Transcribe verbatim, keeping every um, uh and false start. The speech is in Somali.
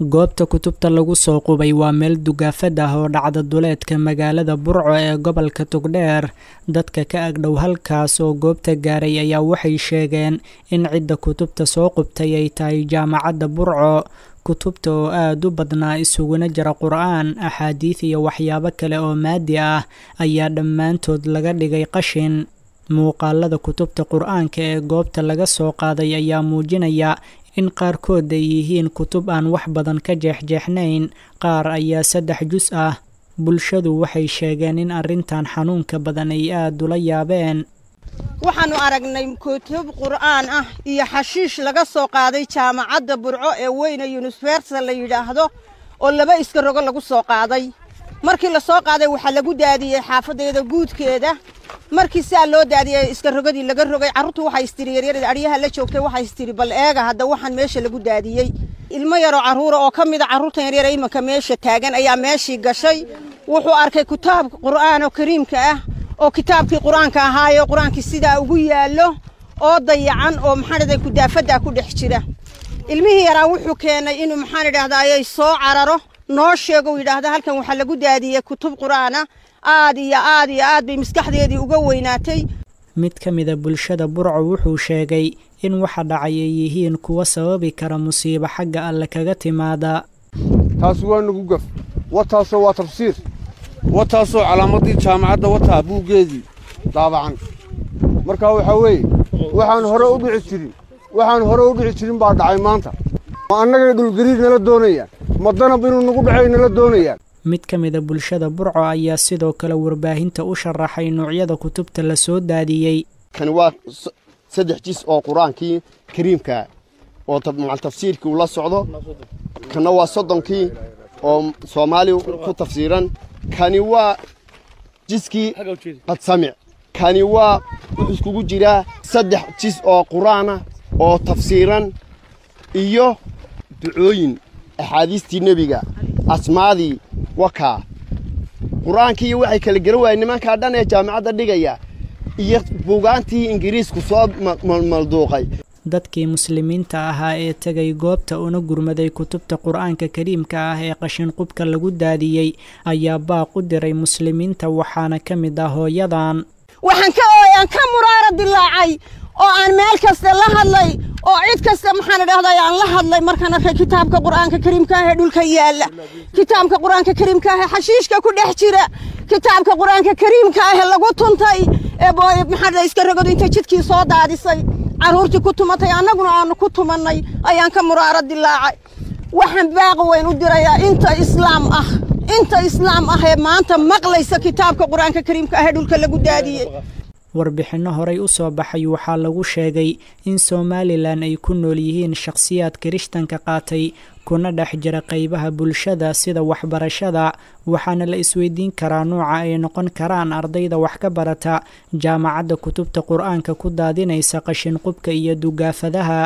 Goobta kutubta lagu soo qubay waa meel dugaafad ah oo dhacda duleedka magaalada Burco ee gobolka Togdheer. Dadka ka agdhow halkaas oo goobta gaaray ayaa waxay sheegeen in cidda kutubta soo qubtay ay tahay jaamacadda Burco. Kutubta oo aad u badnaa, isuguna jira Qur'aan, axaadiid iyo waxyaabo kale oo maadi ah, ayaa dhammaantood laga dhigay qashin. Muuqaalada kutubta Qur'aanka ee goobta laga soo qaaday ayaa muujinaya in qaarkood ay yihiin kutub aan wax badan ka jeexjeexnayn, qaar ayaa saddex jus ah. Bulshadu waxay sheegeen in arrintan xanuunka badan ay aad ula yaabeen. Waxaannu aragnay kutub qur'aan ah iyo xashiish laga soo qaaday jaamacadda Burco ee weyne Yunifersa la yidhaahdo, oo laba iska rogo lagu soo qaaday. Markii la soo qaaday waxaa lagu daadiyey xaafaddeeda guudkeeda. Markii siaa loo daadiyey iska rogadii laga rogay, carruurtu waxay istiri, yaryarada adhyaha la joogtay waxay istiri, bal eega hadda waxaan meesha lagu daadiyey. Ilmo yaroo carruura oo ka mida carruurtan yaryar imanka meesha taagan ayaa meeshii gashay. Wuxuu arkay kitaab qur'aan oo kariimka ah, oo kitaabkii qur-aanka ahaayo, qur-aankii sidaa ugu yaallo oo dayacan oo maxaan idhahday kudaafaddaa ku dhex jira. Ilmihii yaraa wuxuu keenay inuu maxaan idhahdayay soo cararo, noo sheego, uu yidhaahda halkan waxaa lagu daadiyey kutub qur'aana. Aad iyo aad iyo aad bay maskaxdeedii uga weynaatay. Mid ka mida bulshada Burco wuxuu sheegay in waxa dhacay ay yihiin kuwa sababi kara musiibo xagga Alle kaga timaada. Taasi waa nagu gaf. Wataasoo waa tafsiir, wataasoo calaamadii jaamacadda, wataa buuggeedii daabacan. Marka waxaa weeye waxaan hore u dhici jirin, waxaan hore u dhici jirin baa dhacay maanta. Ma annagay dhulgariir nala doonayaan? Ma danab inuu nagu dhacay nala doonayaan? Mid ka mida bulshada Burco ayaa sidoo kale warbaahinta u sharaxay noocyada kutubta la soo daadiyey. Kani waa saddex jis oo qur-aankii kariimka oo macal tafsiirkii uu la socdo. Kana waa soddonkii oo Soomaali ku tafsiiran. Kani waa jiskii qadsamic. Kani waa wuxuu iskugu jiraa saddex jis oo qur-aana oo tafsiiran iyo ducooyin, axaadiistii nebiga, asmaadii, wakaa qur-aankii. Waxay kala garan waayeen nimankaa dhan ee jaamacadda dhigaya iyo buugaantii Ingiriisku soo malduuqay. Dadkii muslimiinta ahaa ee tegay goobta una gurmaday kutubta qur-aanka kariimka ah ee qashin qubka lagu daadiyey ayaa baaq u diray muslimiinta, waxaana ka mid ah hooyadan. Waxaan ka ooyaan, ka muraara dilaacay oo aan meel kasta la hadlay oo cid kasta maxaan idhahday aan la hadlay markaan arkay kitaabka qur-aanka kariimka ah ee dhulka yaalla, kitaabka qur-aanka kariimka ah ee xashiishka ku dhex jira, kitaabka qur-aanka kariimka ah ee lagu tuntay ee maxaa dhahday iska rogadu intay jidkii soo daadisay, carruurtii ku tumatay, annaguna aanu ku tumannay ayaan ka muraaro dilaacay. Waxaan baaq weyn u dirayaa inta islaam ah, inta islaam ah ee maanta maqlaysa kitaabka qur-aanka kariimka ah ee dhulka lagu daadiyey. Warbixinno horey u soo baxay waxaa lagu sheegay in Somalilan ay ku nool yihiin shakhsiyaad kirishtanka qaatay kuna dhex jira qaybaha bulshada sida waxbarashada, waxaana la isweydiin karaa nuuca ay noqon karaan ardayda wax ka barata jaamacadda kutubta qur-aanka ku daadinaysa qashin qubka iyo dugaafadaha.